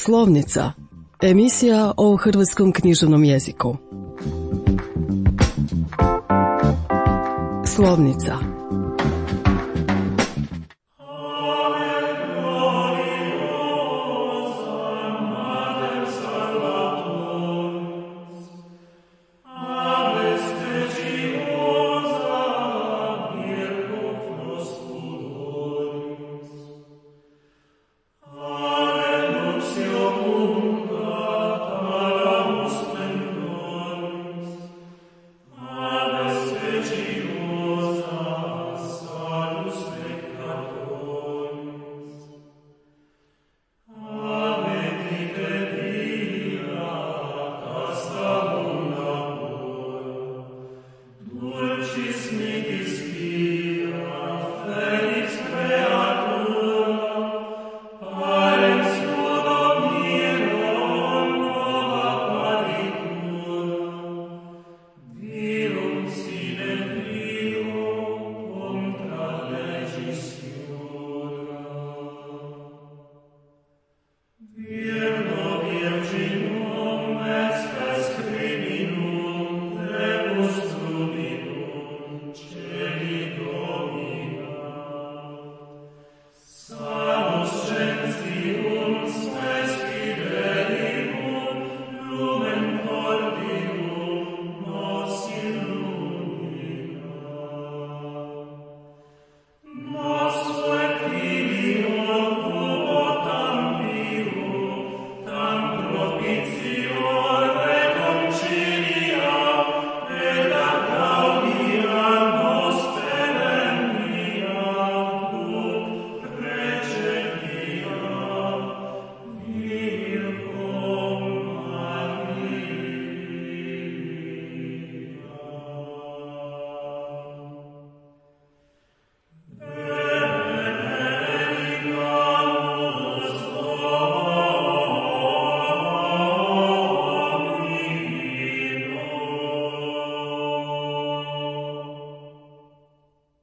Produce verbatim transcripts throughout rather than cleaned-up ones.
Slovnica, emisija o hrvatskom književnom jeziku. Slovnica.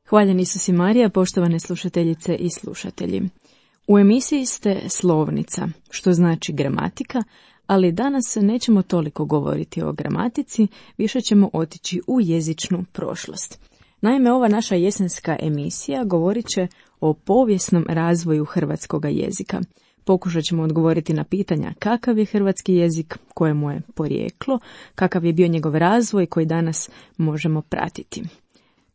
Hvaljen Isus i Marija, poštovane slušateljice i slušatelji. U emisiji ste Slovnica, što znači gramatika, ali danas nećemo toliko govoriti o gramatici, više ćemo otići u jezičnu prošlost. Naime, ova naša jesenska emisija govorit će o povijesnom razvoju hrvatskoga jezika. Pokušat ćemo odgovoriti na pitanja kakav je hrvatski jezik, koje mu je porijeklo, kakav je bio njegov razvoj koji danas možemo pratiti.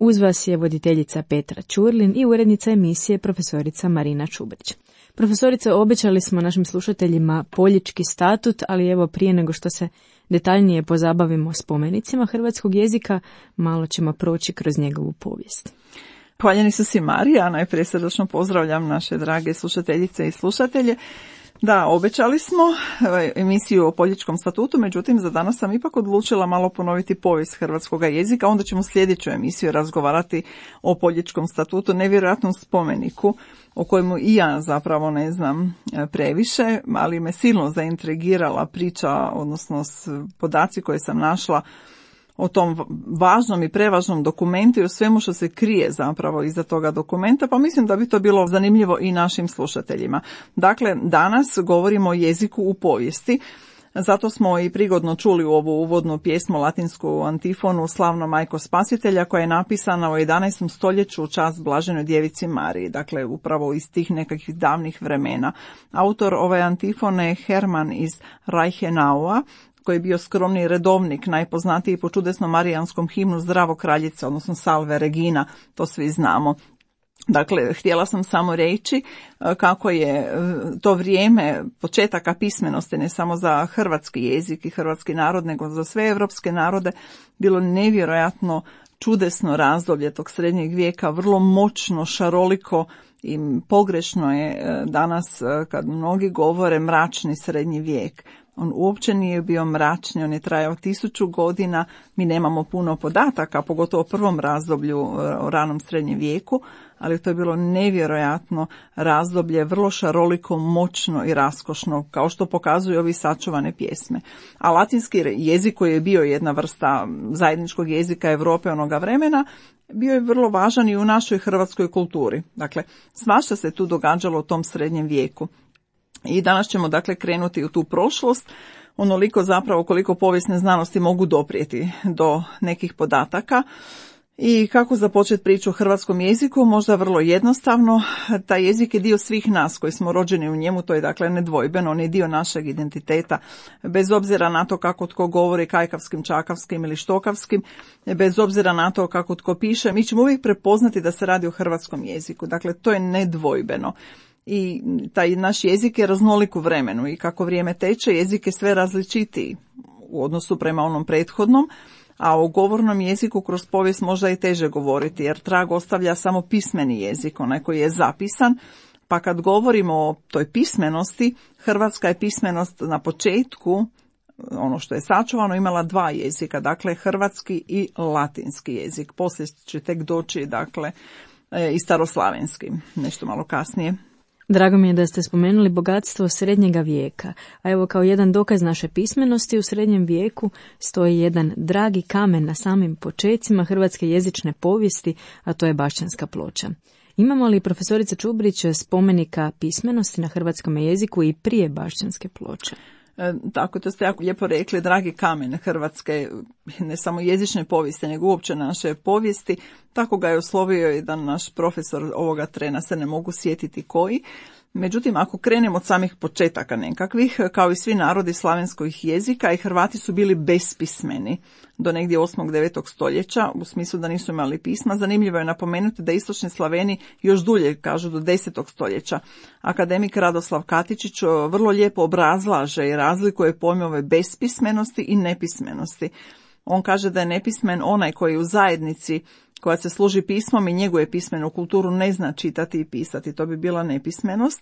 Uz vas je voditeljica Petra Ćurlin i urednica emisije profesorica Marina Čubrić. Profesorice, obećali smo našim slušateljima Poljički statut, ali evo prije nego što se detaljnije pozabavimo spomenicima hrvatskog jezika, malo ćemo proći kroz njegovu povijest. Hvaljeni su si Marija, najprije srdačno pozdravljam naše drage slušateljice i slušatelje. Da, obećali smo emisiju o Poljičkom statutu, međutim za danas sam ipak odlučila malo ponoviti povijest hrvatskoga jezika, onda ćemo sljedeću emisiju razgovarati o Poljičkom statutu, nevjerojatnom spomeniku o kojemu i ja zapravo ne znam previše, ali me silno zaintrigirala priča, odnosno podaci koje sam našla o tom važnom i prevažnom dokumentu i o svemu što se krije zapravo iza toga dokumenta, pa mislim da bi to bilo zanimljivo i našim slušateljima. Dakle, danas govorimo o jeziku u povijesti, zato smo i prigodno čuli u ovu uvodnu pjesmu latinsku antifonu Slavno majko spasitelja, koja je napisana u jedanaestom stoljeću u čast Blaženoj djevici Mariji, dakle upravo iz tih nekakvih davnih vremena. Autor ove antifone je Herman iz Reichenaua, koji je bio skromni redovnik, najpoznatiji po čudesnom marijanskom himnu Zdravo kraljice, odnosno Salve Regina, to svi znamo. Dakle, htjela sam samo reći kako je to vrijeme početaka pismenosti, ne samo za hrvatski jezik i hrvatski narod, nego za sve evropske narode, bilo nevjerojatno čudesno razdoblje tog srednjeg vijeka, vrlo moćno, šaroliko i pogrešno je danas kad mnogi govore mračni srednji vijek. On uopće nije bio mračni, on je trajao tisuću godina, mi nemamo puno podataka, pogotovo u prvom razdoblju o ranom srednjem vijeku, ali to je bilo nevjerojatno razdoblje, vrlo šaroliko, moćno i raskošno, kao što pokazuju ovi sačuvane pjesme. A latinski jezik, koji je bio jedna vrsta zajedničkog jezika Europe onoga vremena, bio je vrlo važan i u našoj hrvatskoj kulturi. Dakle, svašta se tu događalo u tom srednjem vijeku. I danas ćemo dakle krenuti u tu prošlost, onoliko zapravo koliko povijesne znanosti mogu doprijeti do nekih podataka. I kako započeti priču o hrvatskom jeziku? Možda vrlo jednostavno. Taj jezik je dio svih nas koji smo rođeni u njemu, to je dakle nedvojbeno, on je dio našeg identiteta, bez obzira na to kako tko govori kajkavskim, čakavskim ili štokavskim, bez obzira na to kako tko piše, mi ćemo uvijek prepoznati da se radi o hrvatskom jeziku. Dakle, to je nedvojbeno. I taj naš jezik je raznolik u vremenu i kako vrijeme teče, jezik je sve različitiji u odnosu prema onom prethodnom, a o govornom jeziku kroz povijest možda i teže govoriti, jer trag ostavlja samo pismeni jezik, onaj koji je zapisan, pa kad govorimo o toj pismenosti, hrvatska je pismenost na početku, ono što je sačuvano, imala dva jezika, dakle hrvatski i latinski jezik, poslije će tek doći dakle i staroslavenski, nešto malo kasnije. Drago mi je da ste spomenuli bogatstvo srednjega vijeka, a evo kao jedan dokaz naše pismenosti u srednjem vijeku stoji jedan dragi kamen na samim počecima hrvatske jezične povijesti, a to je Bašćanska ploča. Imamo li, profesorica Čubrić, spomenika pismenosti na hrvatskom jeziku i prije Bašćanske ploče? E, tako, to ste jako lijepo rekli, dragi kamen hrvatske, ne samo jezične povijesti, nego uopće naše povijesti. Tako ga je oslovio jedan naš profesor, ovoga trena se ne mogu sjetiti koji. Međutim, ako krenemo od samih početaka nekakvih, kao i svi narodi slavenskih jezika, i Hrvati su bili bespismeni do negdje osmog devetog stoljeća, u smislu da nisu imali pisma. Zanimljivo je napomenuti da istočni Slaveni još dulje, kažu do desetog stoljeća. Akademik Radoslav Katičić vrlo lijepo obrazlaže i razlikuje pojmove bespismenosti i nepismenosti. On kaže da je nepismen onaj koji u zajednici koja se služi pismom i njeguje pismenu kulturu ne zna čitati i pisati. To bi bila nepismenost.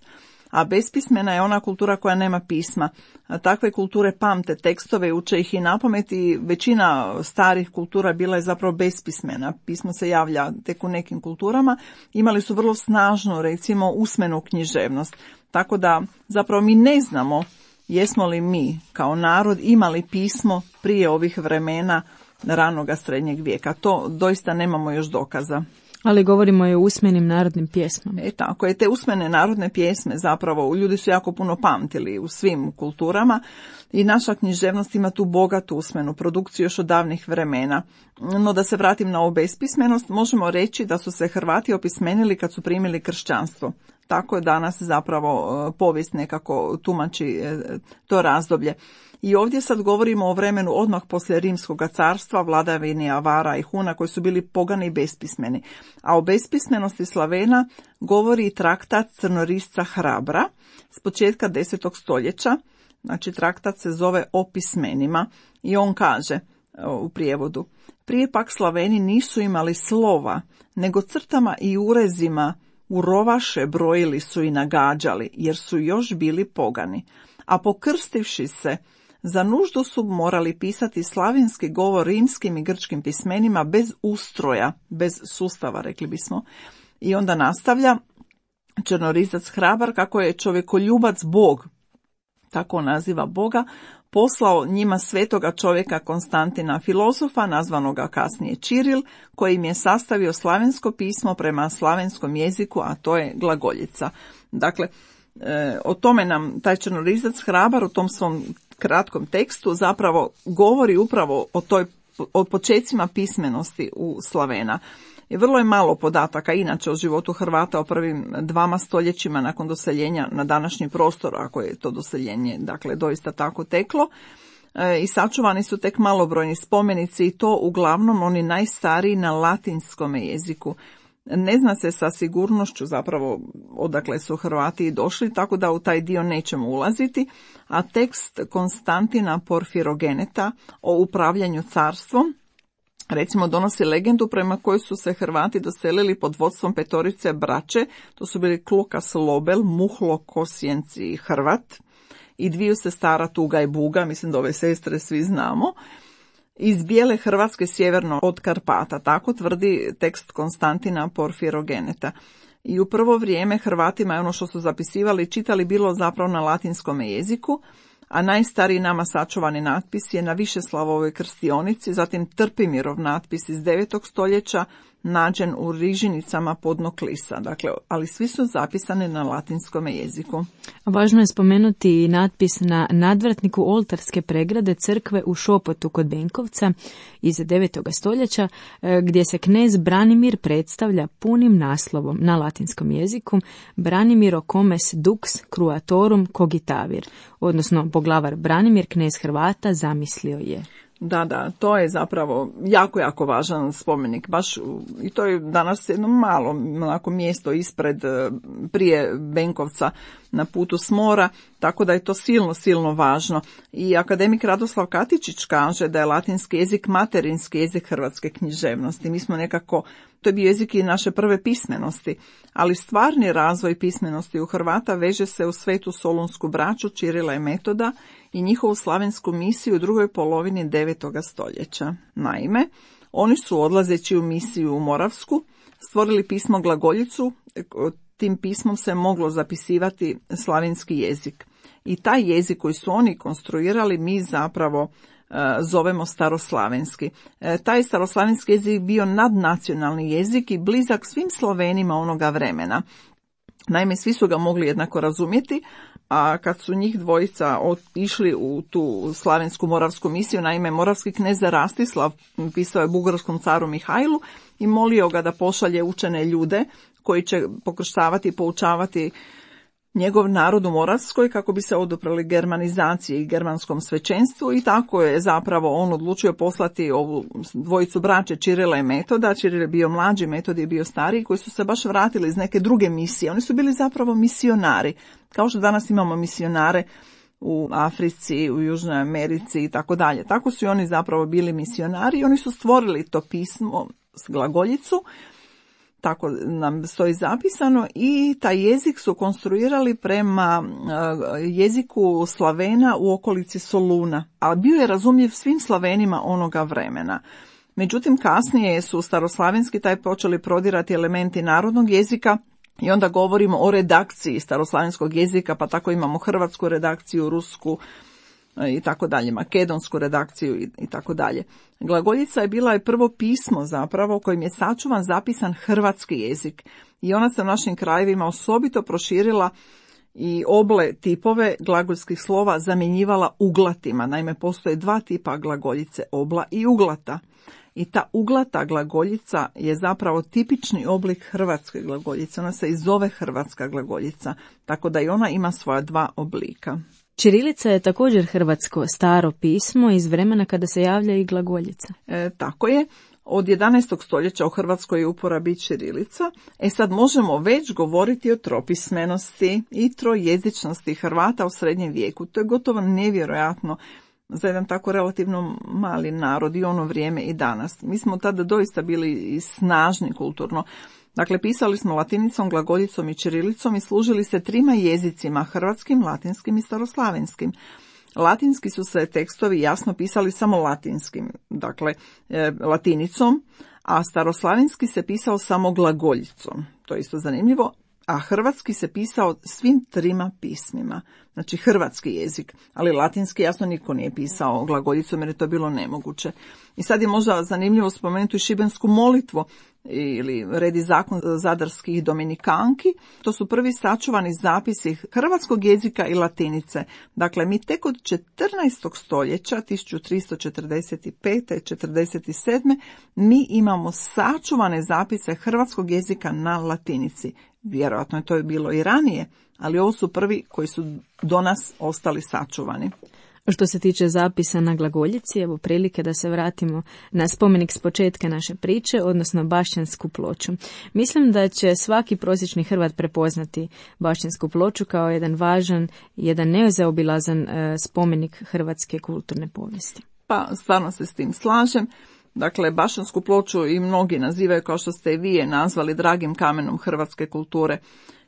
A bespismena je ona kultura koja nema pisma. A takve kulture pamte tekstove, uče ih i napamet, i većina starih kultura bila je zapravo bespismena. Pismo se javlja tek u nekim kulturama. Imali su vrlo snažnu, recimo, usmenu književnost. Tako da zapravo mi ne znamo jesmo li mi kao narod imali pismo prije ovih vremena ranoga srednjeg vijeka. To doista nemamo još dokaza. Ali govorimo i o usmenim narodnim pjesmama. E tako je, te usmene narodne pjesme zapravo ljudi su jako puno pamtili u svim kulturama i naša književnost ima tu bogatu usmenu produkciju još od davnih vremena. No da se vratim na ovu bespismenost, možemo reći da su se Hrvati opismenili kad su primili kršćanstvo. Tako je danas zapravo povijest nekako tumači to razdoblje. I ovdje sad govorimo o vremenu odmah poslije Rimskog carstva, vladavini Avara i Huna koji su bili pogani i bespismeni. A o bespismenosti Slavena govori i traktat Crnorisca Hrabra s početka desetog stoljeća. Znači traktat se zove O pismenima i on kaže u prijevodu: prije pak Slaveni nisu imali slova, nego crtama i urezima u rovaše brojili su i nagađali, jer su još bili pogani. A pokrstivši se, za nuždu su morali pisati slavenski govor rimskim i grčkim pismenima bez ustroja, bez sustava, rekli bismo. I onda nastavlja Crnorizac Hrabar kako je čovjekoljubac Bog, tako naziva Boga, poslao njima svetoga čovjeka Konstantina filozofa, nazvanoga kasnije Čiril, koji im je sastavio slavensko pismo prema slavenskom jeziku, a to je glagoljica. Dakle, e, o tome nam taj Crnorizac Hrabar u tom svom kratkom tekstu zapravo govori upravo o toj, o počecima pismenosti u Slavena. I vrlo je malo podataka inače o životu Hrvata o prvim dvama stoljećima nakon doseljenja na današnji prostor, ako je to doseljenje dakle doista tako teklo. E, I sačuvani su tek malobrojni spomenici i to uglavnom oni najstariji na latinskom jeziku. Ne zna se sa sigurnošću zapravo odakle su Hrvati došli, tako da u taj dio nećemo ulaziti, a tekst Konstantina Porfirogeneta o upravljanju carstvom recimo donosi legendu prema kojoj su se Hrvati doselili pod vodstvom petorice braće, to su bili Klukas Lobel, Muhlo Kosjenci i Hrvat, i dviju sestara Tuga i Buga, mislim da ove sestre svi znamo, iz bijele Hrvatske sjeverno od Karpata, tako tvrdi tekst Konstantina Porfirogeneta. I u prvo vrijeme Hrvatima je ono što su zapisivali i čitali bilo zapravo na latinskom jeziku, a najstariji nama sačuvani natpis je na Višeslavovoj krstionici, zatim Trpimirov natpis iz devetog stoljeća, nađen u rižinicama podno klisa, dakle, ali svi su zapisani na latinskom jeziku. Važno je spomenuti i natpis na nadvratniku oltarske pregrade crkve u Šopotu kod Benkovca iz devetoga stoljeća, gdje se knez Branimir predstavlja punim naslovom na latinskom jeziku Branimiro comes dux cruatorum cogitavir, odnosno poglavar Branimir, knez Hrvata, zamislio je. Da, da, to je zapravo jako, jako važan spomenik. Baš, i to je danas jedno malo onako mjesto ispred, prije Benkovca na putu s mora, tako da je to silno, silno važno. I akademik Radoslav Katičić kaže da je latinski jezik materinski jezik hrvatske književnosti. Mi smo nekako, to je bio jezik i naše prve pismenosti, ali stvarni razvoj pismenosti u Hrvata veže se u Svetu Solunsku braću Čirila i Metoda i njihovu slavensku misiju u drugoj polovini devetoga stoljeća. Naime, oni su odlazeći u misiju u Moravsku stvorili pismo glagoljicu, tim pismom se moglo zapisivati slavenski jezik. I taj jezik koji su oni konstruirali mi zapravo e, zovemo staroslavenski. E, taj staroslavenski jezik bio nadnacionalni jezik i blizak svim Slovenima onoga vremena. Naime, svi su ga mogli jednako razumjeti, a kad su njih dvojica išli u tu slavensku moravsku misiju, naime moravski knez Rastislav pisao je bugarskom caru Mihajlu i molio ga da pošalje učene ljude koji će pokrštavati i poučavati njegov narod u Moravskoj kako bi se oduprli germanizaciji i germanskom svećenstvu, i tako je zapravo on odlučio poslati ovu dvojicu braće Čirila i Metoda. Čiril je bio mlađi, Metod je bio stariji, koji su se baš vratili iz neke druge misije. Oni su bili zapravo misionari, kao što danas imamo misionare u Africi, u Južnoj Americi i tako dalje. Tako su i oni zapravo bili misionari i oni su stvorili to pismo s glagoljicu, tako nam stoji zapisano, i taj jezik su konstruirali prema jeziku Slavena u okolici Soluna, a bio je razumljiv svim Slavenima onoga vremena. Međutim, kasnije su staroslavenski taj počeli prodirati elementi narodnog jezika i onda govorimo o redakciji staroslavenskog jezika, pa tako imamo hrvatsku redakciju, rusku i tako dalje, makedonsku redakciju i, i tako dalje. Glagoljica je bila je prvo pismo zapravo kojim je sačuvan zapisan hrvatski jezik i ona se u našim krajevima osobito proširila i oble tipove glagoljskih slova zamjenjivala uglatima. Naime, postoje dva tipa glagoljice, obla i uglata. I ta uglata glagoljica je zapravo tipični oblik hrvatske glagoljice. Ona se i zove hrvatska glagoljica, tako da i ona ima svoja dva oblika. Ćirilica je također hrvatsko staro pismo iz vremena kada se javlja i glagoljica. E, tako je. Od jedanaestog stoljeća u Hrvatskoj je uporabi ćirilica. E sad možemo već govoriti o tropismenosti i trojezičnosti Hrvata u srednjem vijeku. To je gotovo nevjerojatno za jedan tako relativno mali narod i ono vrijeme i danas. Mi smo tada doista bili snažni kulturno. Dakle, pisali smo latinicom, glagoljicom i ćirilicom i služili se trima jezicima, hrvatskim, latinskim i staroslavenskim. Latinski su se tekstovi jasno pisali samo latinskim, dakle e, latinicom, a staroslavenski se pisao samo glagoljicom. To je isto zanimljivo. A hrvatski se pisao svim trima pismima, znači hrvatski jezik, ali latinski jasno niko nije pisao glagoljicom jer je to bilo nemoguće. I sad je možda zanimljivo spomenuti i šibensku molitvu ili red i zakon zadarskih dominikanki. To su prvi sačuvani zapisi hrvatskog jezika i latinice. Dakle, mi tek od četrnaestog stoljeća, tisuću tristo četrdeset pete četrdeset sedme mi imamo sačuvane zapise hrvatskog jezika na latinici. Vjerojatno je to bilo i ranije, ali ovo su prvi koji su do nas ostali sačuvani. Što se tiče zapisa na glagoljici, evo prilike da se vratimo na spomenik s početka naše priče, odnosno Bašćansku ploču. Mislim da će svaki prosječni Hrvat prepoznati Bašćansku ploču kao jedan važan, jedan nezaobilazan e, spomenik hrvatske kulturne povijesti. Pa, stvarno se s tim slažem. Dakle, Bašćansku ploču i mnogi nazivaju, kao što ste i vi je nazvali, dragim kamenom hrvatske kulture.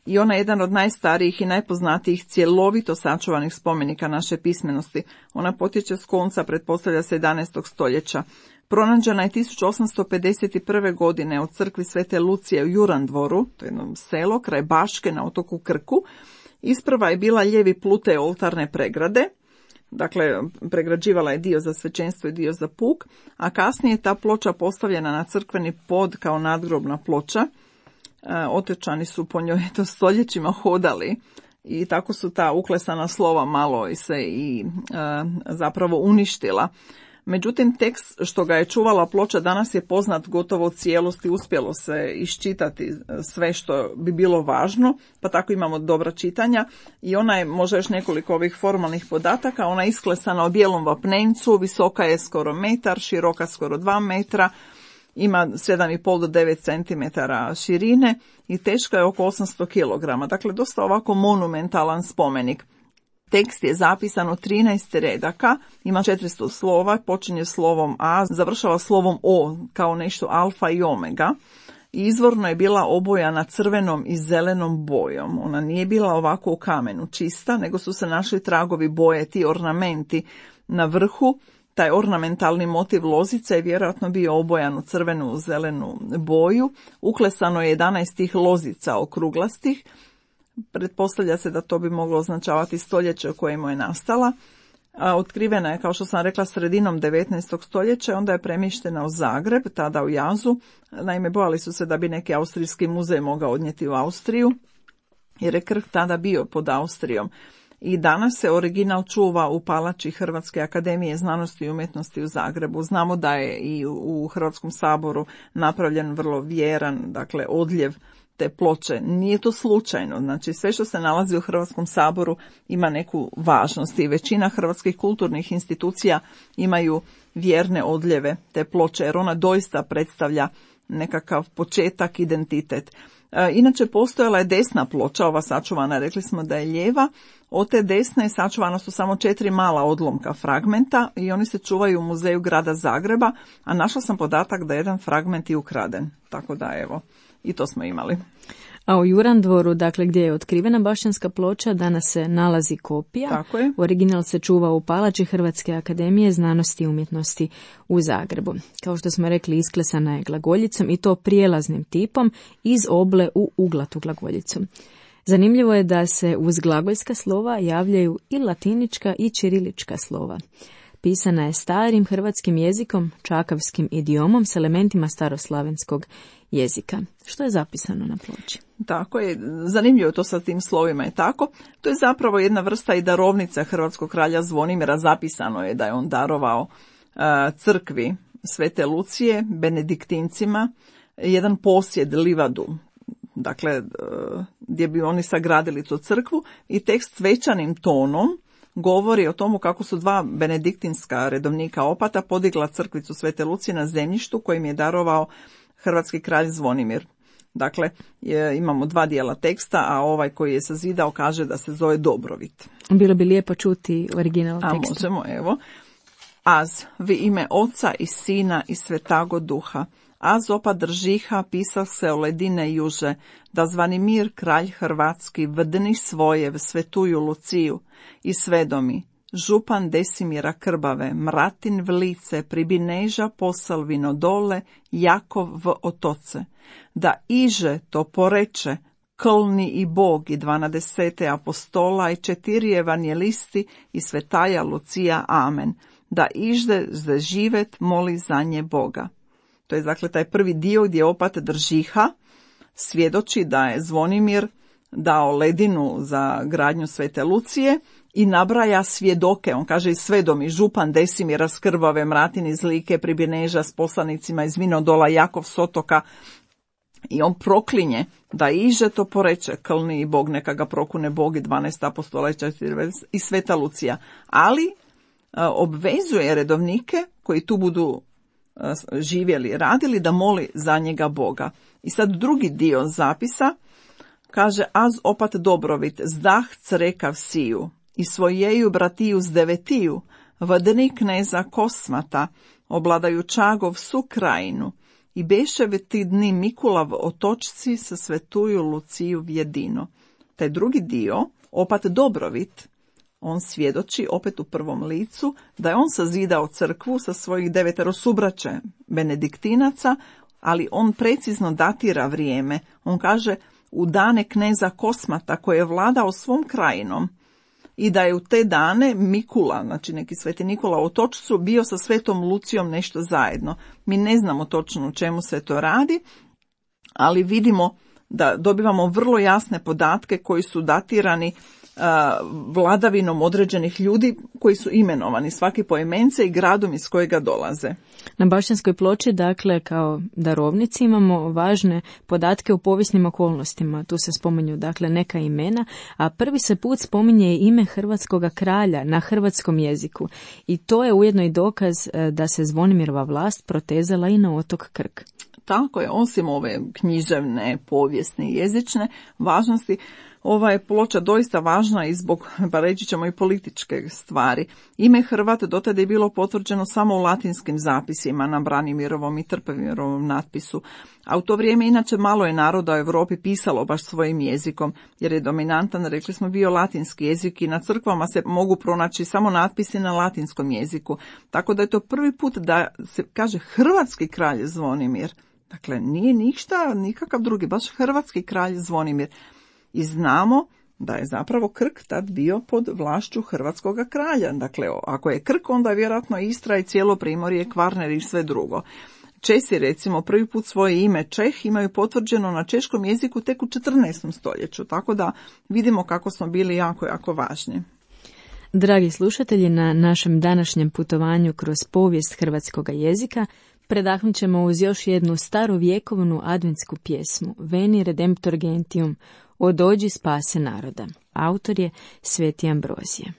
I ona je jedan od najstarijih i najpoznatijih cjelovito sačuvanih spomenika naše pismenosti. Ona potječe s konca, pretpostavlja se, jedanaestog stoljeća. Pronađena je tisuću osamsto pedeset prve. godine od crkvi Svete Lucije u Jurandvoru, to je jedno selo kraj Baške na otoku Krku. Isprva je bila lijevi plute oltarne pregrade, dakle pregrađivala je dio za svećenstvo i dio za puk, a kasnije je ta ploča postavljena na crkveni pod kao nadgrobna ploča. Otočani su po njoj to stoljećima hodali i tako su ta uklesana slova malo se i e, zapravo uništila. Međutim, tekst što ga je čuvala ploča danas je poznat gotovo u cijelosti, uspjelo se iščitati sve što bi bilo važno, pa tako imamo dobra čitanja i ona je možda još nekoliko ovih formalnih podataka, ona je isklesana u bijelom vapnencu, visoka je skoro metar, široka skoro dva metra, ima sedam i pol do devet centimetara širine i teška je oko osamsto kilograma, dakle dosta ovako monumentalan spomenik. Tekst je zapisan u trinaest redaka, ima četiristo slova, počinje slovom A, završava slovom O kao nešto alfa i omega. Izvorno je bila obojana crvenom i zelenom bojom. Ona nije bila ovako u kamenu čista, nego su se našli tragovi boje, ti ornamenti na vrhu. Taj ornamentalni motiv lozica je vjerojatno bio obojan u crvenu i zelenu boju. Uklesano je jedanaest tih lozica okruglastih. Pretpostavlja se da to bi moglo označavati stoljeće u kojemu je nastala. A otkrivena je, kao što sam rekla, sredinom devetnaestog stoljeća, onda je premještena u Zagreb, tada u Jazu. Naime, bojali su se da bi neki austrijski muzej mogao odnijeti u Austriju, jer je Krk tada bio pod Austrijom. I danas se original čuva u palači Hrvatske akademije znanosti i umjetnosti u Zagrebu. Znamo da je i u Hrvatskom saboru napravljen vrlo vjeran, dakle, odljev te ploče. Nije to slučajno, znači sve što se nalazi u Hrvatskom saboru ima neku važnost i većina hrvatskih kulturnih institucija imaju vjerne odljeve te ploče, jer ona doista predstavlja nekakav početak, identitet. E, inače postojala je desna ploča, ova sačuvana, rekli smo da je lijeva. Od te desne sačuvana su samo četiri mala odlomka fragmenta i oni se čuvaju u muzeju grada Zagreba, a našla sam podatak da je jedan fragment i ukraden, tako da evo, i to smo imali. A u Jurandvoru, dakle gdje je otkrivena Bašćanska ploča, danas se nalazi kopija. Tako je. Original se čuva u palači Hrvatske akademije znanosti i umjetnosti u Zagrebu. Kao što smo rekli, isklesana je glagoljicom i to prijelaznim tipom iz oble u uglatu glagoljicu. Zanimljivo je da se uz glagoljska slova javljaju i latinička i ćirilička slova. Pisana je starim hrvatskim jezikom, čakavskim idiomom s elementima staroslavenskog jezika. Što je zapisano na ploči? Tako je, zanimljivo to sa tim slovima je tako. To je zapravo jedna vrsta i darovnica hrvatskog kralja Zvonimira. Zapisano je da je on darovao uh, crkvi Svete Lucije, benediktincima, jedan posjed, livadu, dakle uh, gdje bi oni sagradili tu crkvu, i tekst svečanim tonom govori o tomu kako su dva benediktinska redovnika opata podigla crkvicu Svete Lucije na zemljištu kojim je darovao hrvatski kralj Zvonimir. Dakle, je, imamo dva dijela teksta, a ovaj koji je sazidao kaže da se zove Dobrovit. Bilo bi lijepo čuti original teksta. A možemo, evo. Az, vi ime Oca i Sina i Svetago Duha. Az opa držiha pisah se o ledine juže, da Zvanimir, kralj hrvatski, vdni svoje v svetuju Luciju i svedomi. Župan Desimira Krbave, Mratin v lice, pribineža posalvino dole, Jakov v otoce. Da iže to poreče, klni i Bog i dvanadesete apostola i četiri evanjelisti i svetaja Lucija, amen. Da ižde zde živet moli za nje Boga. To je dakle taj prvi dio gdje opat Držiha svjedoči da je Zvonimir dao ledinu za gradnju Svete Lucije i nabraja svjedoke. On kaže i svedomi, župan Desimira s Krbave, Mratin iz Like, Pribineža s poslanicima iz Vinodola, Jakov s otoka, i on proklinje da iže to poreče, klni i Bog, neka ga prokune Bog i dvanaest apostola i Sveta Lucija. Ali a, obvezuje redovnike koji tu budu a, živjeli, radili, da moli za njega Boga. I sad drugi dio zapisa kaže: az opat Dobrovit, zdah crekav siju, i svojeju bratiju z devetiju, vdni kneza Kosmata, obladaju Čagov su krajinu, i beševe ti dni Mikulav otočci sa svetuju Luciju vjedino. Taj drugi dio, opat Dobrovit, on svjedoči opet u prvom licu da je on sazidao crkvu sa svojih devetero subraće benediktinaca, ali on precizno datira vrijeme. On kaže u dane kneza Kosmata koji je vladao svom krajinom i da je u te dane Mikula, znači neki sveti Nikola u Otočcu, bio sa svetom Lucijom nešto zajedno. Mi ne znamo točno o čemu se to radi, ali vidimo da dobivamo vrlo jasne podatke koji su datirani vladavinom određenih ljudi koji su imenovani svaki poimence i gradom iz kojega dolaze. Na Bašćanskoj ploči, dakle, kao darovnici imamo važne podatke o povijesnim okolnostima. Tu se spominju, dakle, neka imena, a prvi se put spominje ime hrvatskoga kralja na hrvatskom jeziku. I to je ujedno i dokaz da se Zvonimirova vlast protezala i na otok Krk. Tako je, osim ove književne, povijesne i jezične važnosti, ova je ploča doista važna i zbog, pa reći ćemo, i političke stvari. Ime Hrvat dotada je bilo potvrđeno samo u latinskim zapisima na Branimirovom i Trpimirovom natpisu, a u to vrijeme inače malo je naroda u Europi pisalo baš svojim jezikom, jer je dominantan, rekli smo, bio latinski jezik i na crkvama se mogu pronaći samo natpisi na latinskom jeziku, tako da je to prvi put da se kaže hrvatski kralj Zvonimir. Dakle, nije ništa, nikakav drugi, baš hrvatski kralj Zvonimir. I znamo da je zapravo Krk tad bio pod vlašću hrvatskog kralja. Dakle, ako je Krk, onda je vjerojatno Istra i cijelo Primorje, Kvarner i sve drugo. Česi, recimo, prvi put svoje ime Čeh imaju potvrđeno na češkom jeziku tek u četrnaestom stoljeću, tako da vidimo kako smo bili jako, jako važni. Dragi slušatelji, na našem današnjem putovanju kroz povijest hrvatskog jezika predahnut ćemo uz još jednu starovjekovnu adventsku pjesmu Veni Redemptor Gentium, O dođi spase naroda. Autor je Sveti Ambrozije.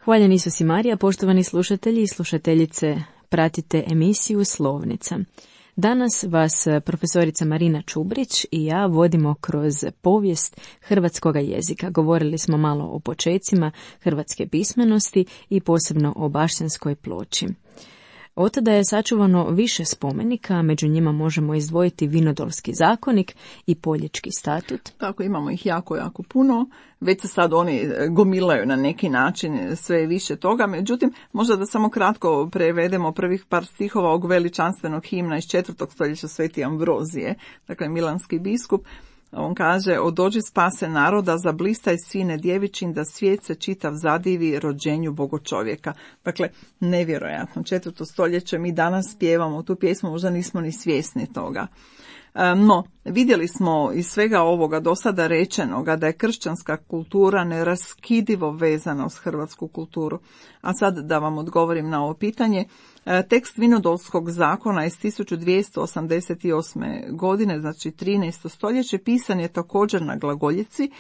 Hvaljen Isus i Marija, poštovani slušatelji i slušateljice, pratite emisiju Slovnica. Danas vas profesorica Marina Čubrić i ja vodimo kroz povijest hrvatskoga jezika. Govorili smo malo o počecima hrvatske pismenosti i posebno o Bašćanskoj ploči. Od tada je sačuvano više spomenika, među njima možemo izdvojiti Vinodolski zakonik i Poljički statut. Tako, imamo ih jako, jako puno. Već se sad oni gomilaju na neki način, sve više toga. Međutim, možda da samo kratko prevedemo prvih par stihova ovog veličanstvenog himna iz četvrtog stoljeća Sveti Ambrozije, dakle milanski biskup. On kaže: odođi spase naroda, zablistaj sine djevičin, da svijet se čitav zadivi rođenju Bogočovjeka. Dakle, nevjerojatno, četvrto stoljeće, mi danas pjevamo tu pjesmu, možda nismo ni svjesni toga. No, vidjeli smo iz svega ovoga do sada rečenoga da je kršćanska kultura neraskidivo vezana uz hrvatsku kulturu. A sad da vam odgovorim na ovo pitanje. Tekst Vinodolskog zakona iz tisuću dvjesto osamdeset osme. godine, znači trinaesto stoljeće, pisan je također na glagoljici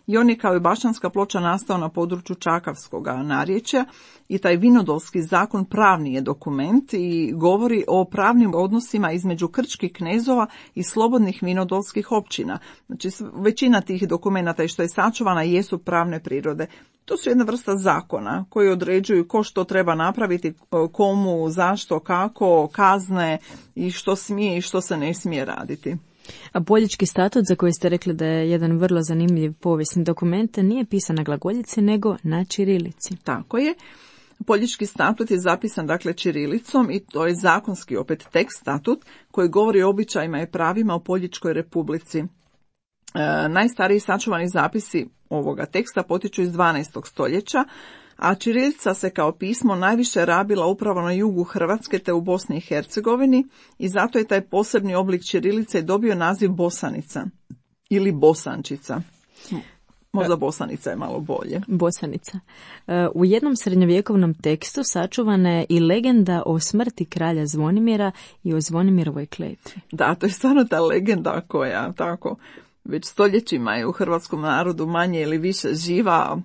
i on je kao i Bašćanska ploča nastao na području Čakavskoga narječja i taj Vinodolski zakon pravni je dokument i govori o pravnim odnosima između krčkih knezova i slobodnih vinodolskih općina. Znači većina tih dokumenata i što je sačuvana jesu pravne prirode. To su jedna vrsta zakona koji određuju ko što treba napraviti, komu, zašto, kako, kazne i što smije i što se ne smije raditi. A Poljički statut, za koji ste rekli da je jedan vrlo zanimljiv povijesni dokument, nije pisan na glagoljici nego na ćirilici. Tako je. Poljički statut je zapisan dakle ćirilicom i to je zakonski opet tekst statut koji govori o običajima i pravima u Poljičkoj republici. E, najstariji sačuvani zapisi ovoga teksta potiču iz dvanaestog stoljeća, a ćirilica se kao pismo najviše rabila upravo na jugu Hrvatske te u Bosni i Hercegovini i zato je taj posebni oblik ćirilice dobio naziv bosanica ili bosančica. Možda bosanica je malo bolje. Bosanica. U jednom srednjovjekovnom tekstu sačuvana je i legenda o smrti kralja Zvonimira i o Zvonimirovoj kletvi. Da, to je stvarno ta legenda koja tako već stoljećima je u hrvatskom narodu manje ili više živa,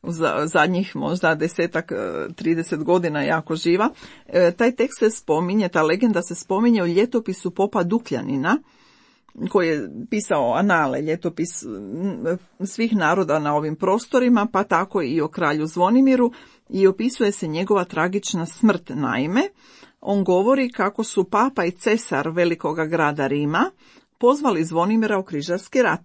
za zadnjih možda desetak, trideset godina jako živa. E, taj tekst se spominje, ta legenda se spominje u ljetopisu popa Dukljanina, koji je pisao anale, ljetopis svih naroda na ovim prostorima, pa tako i o kralju Zvonimiru, i opisuje se njegova tragična smrt. Naime, on govori kako su papa i cesar velikoga grada Rima pozvali Zvonimira u križarski rat.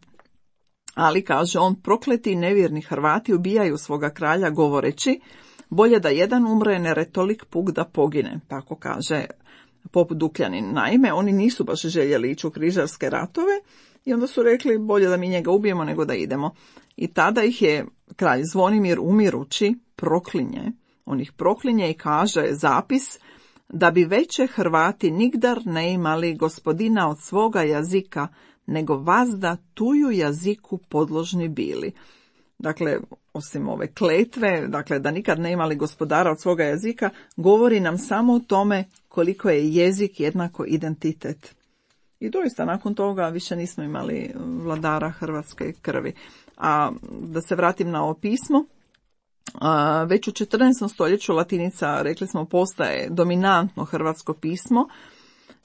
Ali, kaže on, prokleti nevjerni Hrvati ubijaju svoga kralja govoreći: bolje da jedan umre ner je tolik puk da pogine, tako kaže pop Dukljanin. Naime, oni nisu baš željeli ići u križarske ratove i onda su rekli bolje da mi njega ubijemo nego da idemo. I tada ih je kralj Zvonimir umirući proklinje. On ih proklinje i kaže zapis da bi veće Hrvati nigdar ne imali gospodina od svoga jazika, nego vazda tuju jaziku podložni bili. Dakle, osim ove kletve, dakle da nikad ne imali gospodara od svoga jezika, govori nam samo o tome koliko je jezik jednako identitet. I doista nakon toga više nismo imali vladara hrvatske krvi. A da se vratim na ovo pismo, a, već u četrnaestom stoljeću latinica, rekli smo, postaje dominantno hrvatsko pismo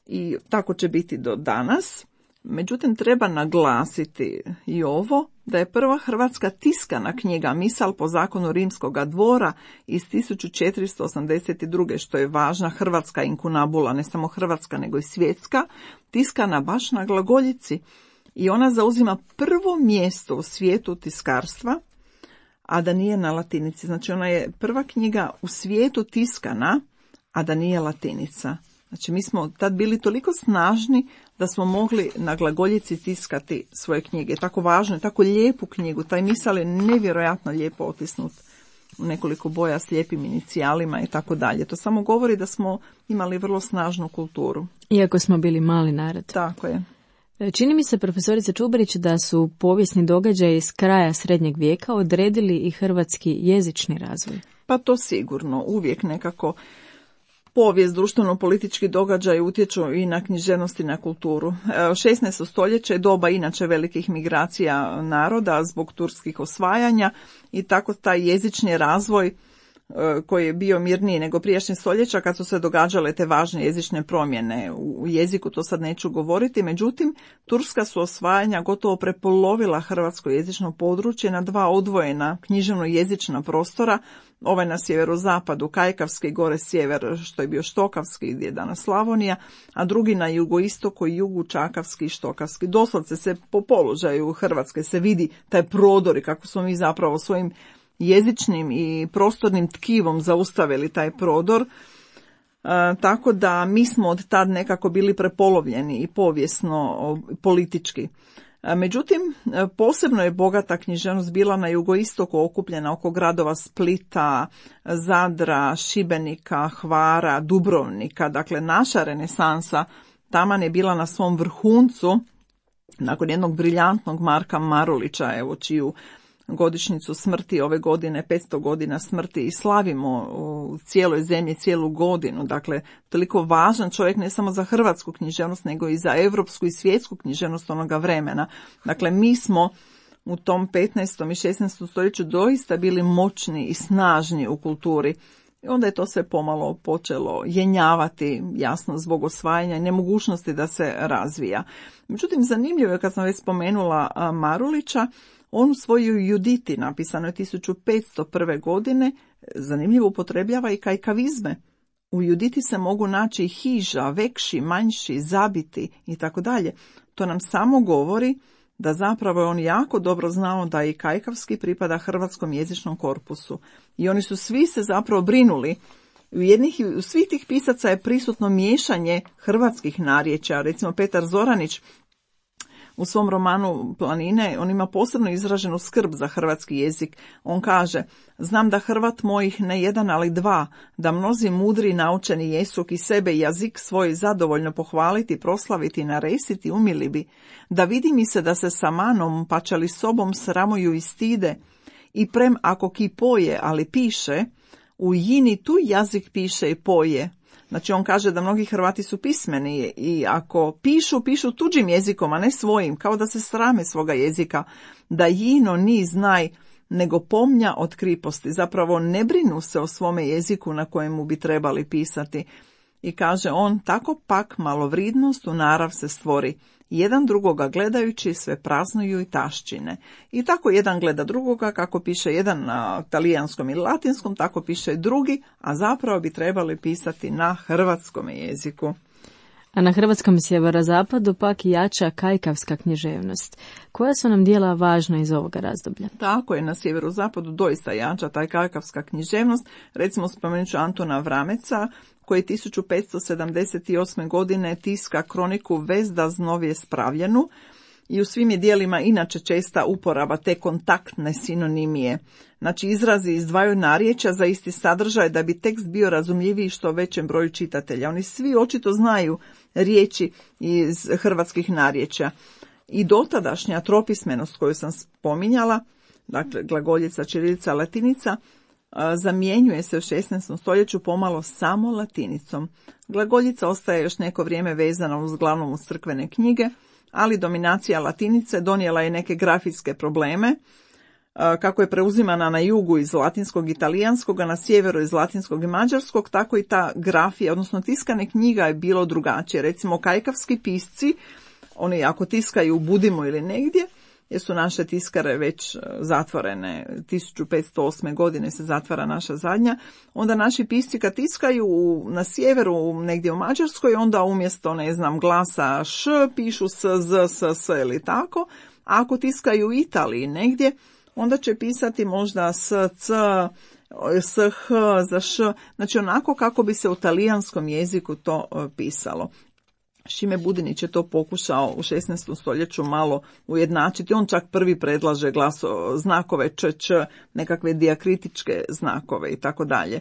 i tako će biti do danas. Međutim, treba naglasiti i ovo, da je prva hrvatska tiskana knjiga Misal po zakonu rimskoga dvora iz tisuću četiristo osamdeset druge. što je važna hrvatska inkunabula, ne samo hrvatska nego i svjetska, tiskana baš na glagoljici. I ona zauzima prvo mjesto u svijetu tiskarstva, a da nije na latinici. Znači ona je prva knjiga u svijetu tiskana, a da nije latinica. Znači mi smo tad bili toliko snažni da smo mogli na glagoljici tiskati svoje knjige. Tako važno, tako lijepu knjigu. Taj misal je nevjerojatno lijepo otisnut u nekoliko boja s lijepim inicijalima i tako dalje. To samo govori da smo imali vrlo snažnu kulturu. Iako smo bili mali narod. Tako je. Čini mi se, profesorica Čubarić, da su povijesni događaji iz kraja srednjeg vijeka odredili i hrvatski jezični razvoj. Pa to sigurno. Uvijek nekako povijest, društveno-politički događaj utječu i na književnost i na kulturu. šesnaesto stoljeće je doba inače velikih migracija naroda zbog turskih osvajanja i tako taj jezični razvoj koji je bio mirniji nego prijašnjih stoljeća kad su se događale te važne jezične promjene. U jeziku to sad neću govoriti, međutim, turska su osvajanja gotovo prepolovila hrvatsko jezično područje na dva odvojena književno-jezična prostora, ovaj na sjeverozapadu, Kajkavski, gore sjever, što je bio Štokavski, gdje je danas Slavonija, a drugi na jugoistoku i jugu Čakavski i Štokavski. Doslovce se po položaju Hrvatske se vidi taj prodor i kako smo mi zapravo svojim jezičnim i prostornim tkivom zaustavili taj prodor, e, tako da mi smo od tad nekako bili prepolovljeni i povijesno, politički. E, međutim, posebno je bogata književnost bila na jugoistoku, okupljena oko gradova Splita, Zadra, Šibenika, Hvara, Dubrovnika. Dakle, naša renesansa taman je bila na svom vrhuncu nakon jednog briljantnog Marka Marulića, evo čiju godišnjicu smrti ove godine, petsto godina smrti, i slavimo u cijeloj zemlji cijelu godinu. Dakle, toliko važan čovjek ne samo za hrvatsku književnost, nego i za europsku i svjetsku književnost onoga vremena. Dakle, mi smo u tom petnaestom i šesnaestom stoljeću doista bili moćni i snažni u kulturi. I onda je to sve pomalo počelo jenjavati, jasno, zbog osvajanja i nemogućnosti da se razvija. Međutim, zanimljivo je, kad sam već spomenula Marulića, on u svojoj Juditi, napisano je tisuću petsto prve. godine, zanimljivo upotrebljava i kajkavizme. U Juditi se mogu naći hiža, vekši, manjši, zabiti i tako dalje. To nam samo govori da zapravo je on jako dobro znao da i kajkavski pripada hrvatskom jezičnom korpusu. I oni su svi se zapravo brinuli. U jednih, u svih tih pisaca je prisutno miješanje hrvatskih narječja. Recimo Petar Zoranić u svom romanu Planine, on ima posebno izraženu skrb za hrvatski jezik. On kaže: znam da Hrvat mojih ne jedan, ali dva, da mnozi mudri naučeni jesuk i sebe jazik svoj zadovoljno pohvaliti, proslaviti, naresiti, umili bi, da vidi mi se da se sa manom, pača li sobom sramuju i stide, i prem ako ki poje, ali piše, u jini tu jazik piše i poje. Znači, on kaže da mnogi Hrvati su pismeni i ako pišu, pišu tuđim jezikom, a ne svojim, kao da se srame svoga jezika, da jino ni znaj, nego pomnja od kriposti. Zapravo ne brinu se o svome jeziku na kojemu bi trebali pisati. I kaže on, tako pak malovridnost u narav se stvori. Jedan drugoga gledajući sve praznuju i taščine. I tako jedan gleda drugoga, kako piše jedan na talijanskom ili latinskom, tako piše drugi, a zapravo bi trebali pisati na hrvatskom jeziku. A na hrvatskom sjeverozapadu pak jača kajkavska književnost. Koja su nam dijela važna iz ovoga razdoblja? Tako je, na sjeverozapadu doista jača taj kajkavska književnost. Recimo, spomenut ću Antuna Vrameca, koji tisuću petsto sedamdeset osme. godine tiska kroniku Vezda znovje spravljenu, i u svim je dijelima inače česta uporaba te kontaktne sinonimije. Znači, izrazi iz dvaju narječja za isti sadržaj da bi tekst bio razumljiviji što većem broju čitatelja. Oni svi očito znaju riječi iz hrvatskih narječja. I dotadašnja tropismenost koju sam spominjala, dakle glagoljica, ćirilica, latinica, zamjenjuje se u šesnaestom stoljeću pomalo samo latinicom. Glagoljica ostaje još neko vrijeme vezana uz glavnom uz crkvene knjige, ali dominacija latinice donijela je neke grafitske probleme, kako je preuzimana na jugu iz latinskog i italijanskog, a na sjeveru iz latinskog i mađarskog, tako i ta grafija, odnosno tiskane knjiga je bilo drugačije. Recimo, kajkavski pisci, oni ako tiskaju u Budimu ili negdje, jer su naše tiskare već zatvorene, tisuću petsto osme. godine se zatvara naša zadnja, onda naši pisci kad tiskaju na sjeveru, negdje u Mađarskoj, onda umjesto, ne znam, glasa š, pišu s, z, s, s ili tako, a ako tiskaju u Italiji negdje, onda će pisati možda s, c, s, h, za š, znači onako kako bi se u talijanskom jeziku to pisalo. Šime Budinić je to pokušao u šesnaestom stoljeću malo ujednačiti. On čak prvi predlaže glaso, znakove č, č, nekakve dijakritičke znakove i tako dalje.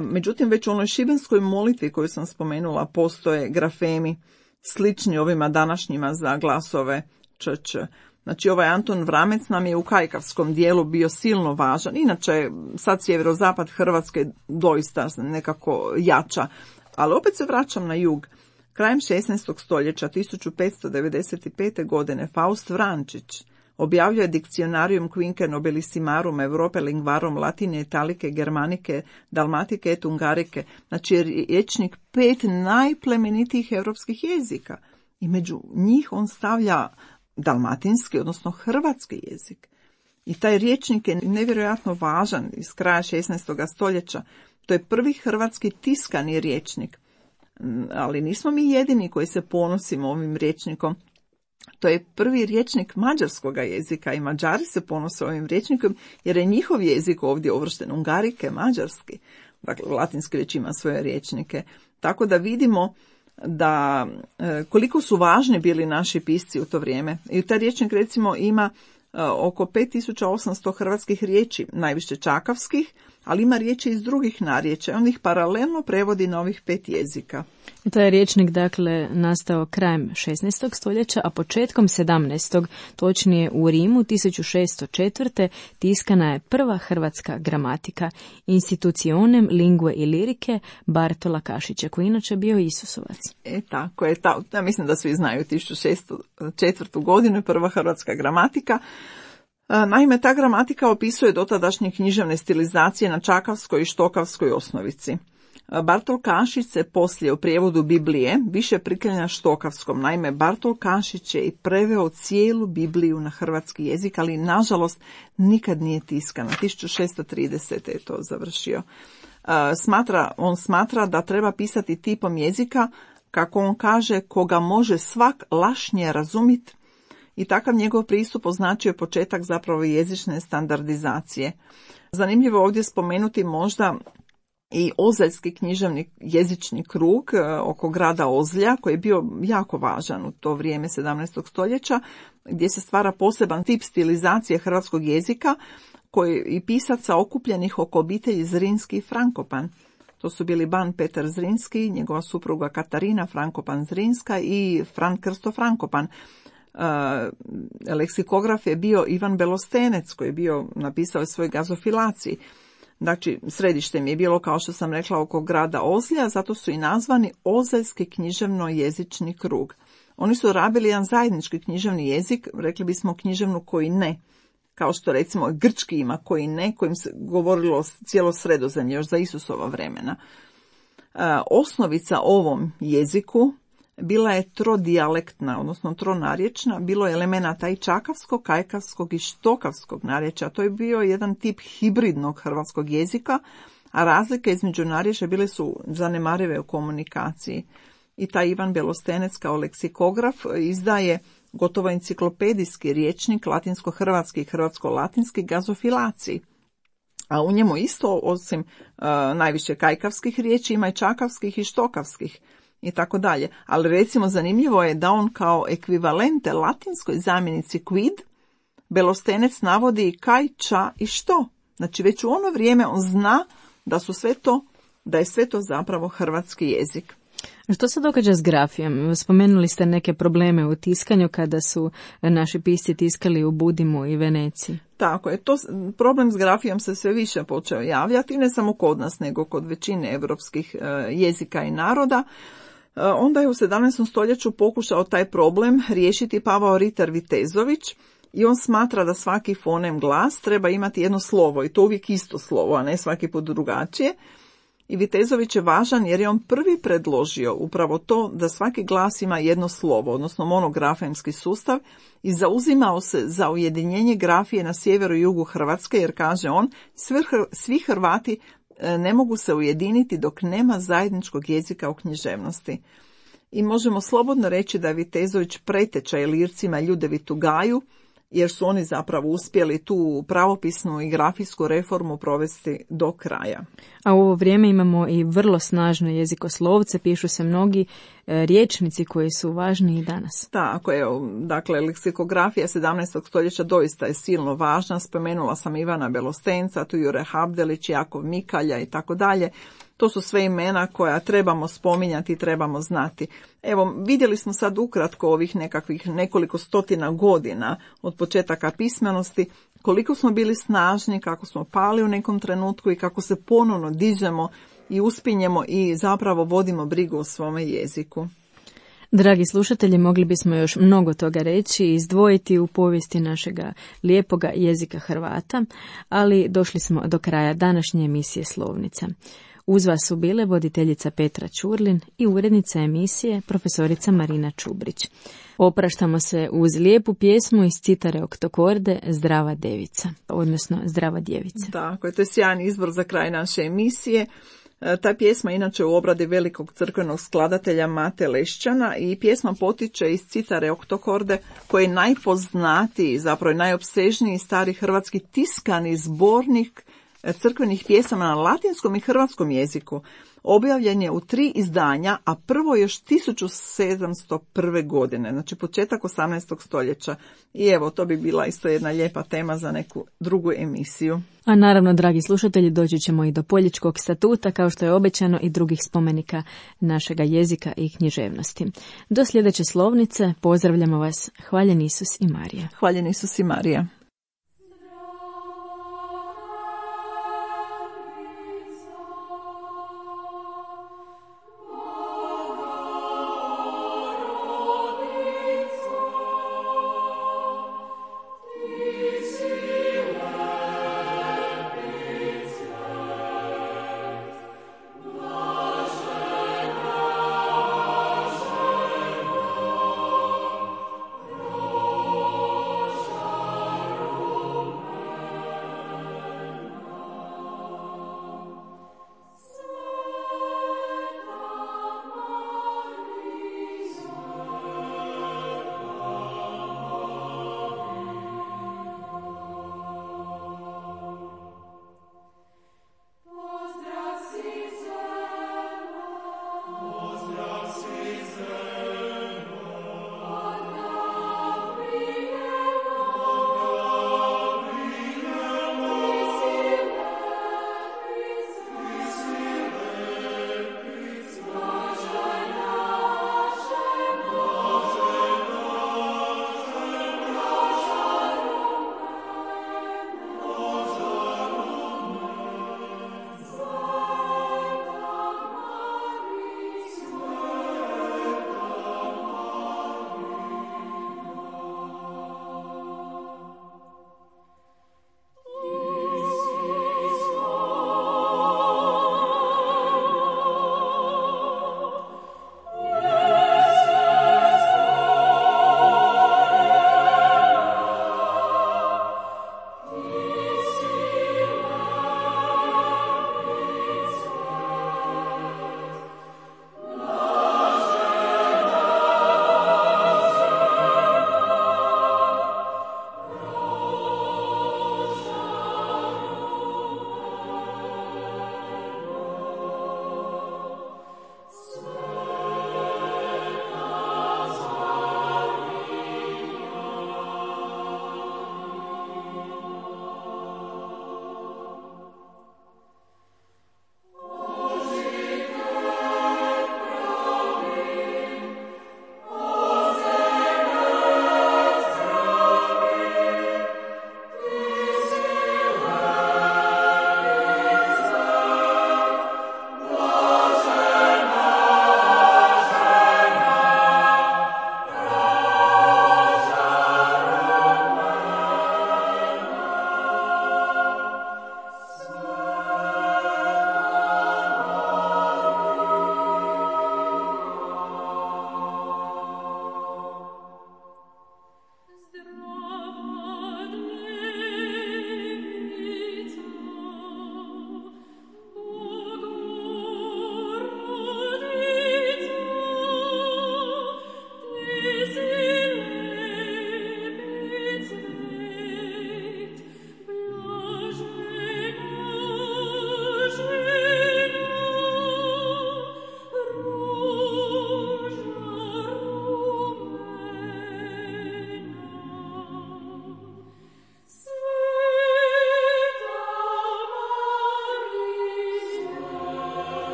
Međutim, već u onoj šibenskoj molitvi koju sam spomenula postoje grafemi slični ovima današnjima za glasove č, č. Znači, ovaj Antun Vramec nam je u kajkavskom dijelu bio silno važan. Inače, sad sjeverozapad Hrvatske doista nekako jača. Ali opet se vraćam na jug. Krajem šesnaestog stoljeća, tisuću petsto devedeset pete. godine, Faust Vrančić Objavljuje Dictionarium quinque nobilissimarum Europe lingvarum latine, italike, germanike, dalmatike et ungarike. Znači rječnik pet najplemenitijih europskih jezika. I među njih on stavlja dalmatinski, odnosno hrvatski jezik. I taj rječnik je nevjerojatno važan iz kraja šesnaestog stoljeća. To je prvi hrvatski tiskani rječnik. Ali nismo mi jedini koji se ponosimo ovim rječnikom. To je prvi rječnik mađarskog jezika i Mađari se ponose ovim rječnikom jer je njihov jezik ovdje uvršten, ungarike, mađarski. Dakle, latinski već ima svoje rječnike. Tako da vidimo da e, koliko su važni bili naši pisci u to vrijeme. I taj rječnik recimo ima e, oko pet tisuća osamsto hrvatskih riječi, najviše čakavskih, ali ima riječi iz drugih narječja. On ih paralelno prevodi na ovih pet jezika. To je rječnik, dakle, nastao krajem šesnaestog stoljeća, a početkom sedamnaestog, točnije u Rimu tisuću šesto četvrte. tiskana je prva hrvatska gramatika Institutionem lingue i lirike Bartola Kašića, koji inače bio Isusovac. E tako je, ta, ja mislim da svi znaju tisuću šesto četvrtu. godinu je prva hrvatska gramatika. Naime, ta gramatika opisuje dotadašnje književne stilizacije na čakavskoj i štokavskoj osnovici. Bartol Kašić se poslije u prijevodu Biblije više priklanja štokavskom. Naime, Bartol Kašić je i preveo cijelu Bibliju na hrvatski jezik, ali nažalost nikad nije tiskana. tisuću šesto tridesete. je to završio. Smatra, on smatra da treba pisati tipom jezika, kako on kaže, koga može svak lašnje razumjeti. I takav njegov pristup označio je početak zapravo jezične standardizacije. Zanimljivo ovdje spomenuti možda i ozaljski književni jezični krug oko grada Ozlja, koji je bio jako važan u to vrijeme sedamnaestog stoljeća, gdje se stvara poseban tip stilizacije hrvatskog jezika koji i pisaca okupljenih oko obitelji Zrinski i Frankopan. To su bili ban Petar Zrinski, njegova supruga Katarina Frankopan Zrinska i Fran Krsto Frankopan. Uh, leksikograf je bio Ivan Belostenec, koji je bio napisao svoj Gazofilaciji. Znači, središte mi je bilo, kao što sam rekla, oko grada Ozlja, zato su i nazvani Ozaljski književno-jezični krug. Oni su rabili jedan zajednički književni jezik, rekli bismo književnu koji ne, kao što recimo grčki ima koji ne, kojim se govorilo cijelo Sredozemlje još za Isusova vremena. Uh, osnovica ovom jeziku bila je trodijalektna, odnosno tronarječna, bilo je elemenata i čakavskog, kajkavskog i štokavskog narječja. To je bio jedan tip hibridnog hrvatskog jezika, a razlike između narječja bile su zanemarive u komunikaciji. I taj Ivan Belostenec kao leksikograf izdaje gotovo enciklopedijski rječnik latinsko-hrvatski i hrvatsko-latinski Gazofilaciji. A u njemu isto, osim uh, najviše kajkavskih riječi, ima i čakavskih i štokavskih i tako dalje. Ali recimo zanimljivo je da on kao ekvivalente latinskoj zamjenici quid, Belostenec navodi i kaj, ča i što. Znači već u ono vrijeme on zna da su sve to, da je sve to zapravo hrvatski jezik. Što se događa s grafijom? Spomenuli ste neke probleme u tiskanju kada su naši pisci tiskali u Budimu i Veneciji. Tako je, to problem s grafijom se sve više počeo javljati, ne samo kod nas, nego kod većine europskih jezika i naroda. Onda je u sedamnaestom stoljeću pokušao taj problem riješiti Pavao Ritter Vitezović i on smatra da svaki fonem glas treba imati jedno slovo i to uvijek isto slovo, a ne svaki put drugačije. I Vitezović je važan jer je on prvi predložio upravo to da svaki glas ima jedno slovo, odnosno monografemski sustav, i zauzimao se za ujedinjenje grafije na sjeveru i jugu Hrvatske, jer kaže on, svi Hrvati ne mogu se ujediniti dok nema zajedničkog jezika u književnosti. I možemo slobodno reći da je Vitezović preteča Ilircima Ljudevitu Gaju, jer su oni zapravo uspjeli tu pravopisnu i grafijsku reformu provesti do kraja. A u ovo vrijeme imamo i vrlo snažno jezikoslovce, pišu se mnogi e, rječnici koji su važni i danas. Tako je, dakle, leksikografija sedamnaestog stoljeća doista je silno važna. Spomenula sam Ivana Belostenca, tu Jure Habdelić, Jakov Mikalja i tako dalje. To su sve imena koja trebamo spominjati i trebamo znati. Evo, vidjeli smo sad ukratko ovih nekakvih nekoliko stotina godina od početaka pismenosti, koliko smo bili snažni, kako smo pali u nekom trenutku i kako se ponovno dižemo i uspinjemo i zapravo vodimo brigu o svome jeziku. Dragi slušatelji, mogli bismo još mnogo toga reći i izdvojiti u povijesti našega lijepoga jezika Hrvata, ali došli smo do kraja današnje emisije Slovnica. Uz vas su bile voditeljica Petra Ćurlin i urednica emisije profesorica Marina Čubrić. Opraštamo se uz lijepu pjesmu iz Citare Oktokorde Zdrava devica, odnosno Zdrava djevica. Tako je, to je sjajan izbor za kraj naše emisije. Ta pjesma inače u obradi velikog crkvenog skladatelja Mate Lešćana i pjesma potiče iz Citare Oktokorde, koji je najpoznatiji, zapravo najopsežniji stari hrvatski tiskani zbornik crkvenih pjesama na latinskom i hrvatskom jeziku. Objavljen je u tri izdanja, a prvo još tisuću sedamsto prve. godine, znači početak osamnaestog stoljeća. I evo, to bi bila isto jedna lijepa tema za neku drugu emisiju. A naravno, dragi slušatelji, doći ćemo i do Poljičkog statuta, kao što je obećano, i drugih spomenika našega jezika i književnosti. Do sljedeće Slovnice pozdravljamo vas. Hvaljen Isus i Marija. Hvaljen Isus i Marija.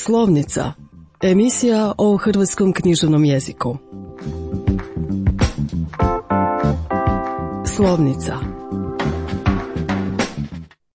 Slovnica, emisija o hrvatskom književnom jeziku. Slovnica.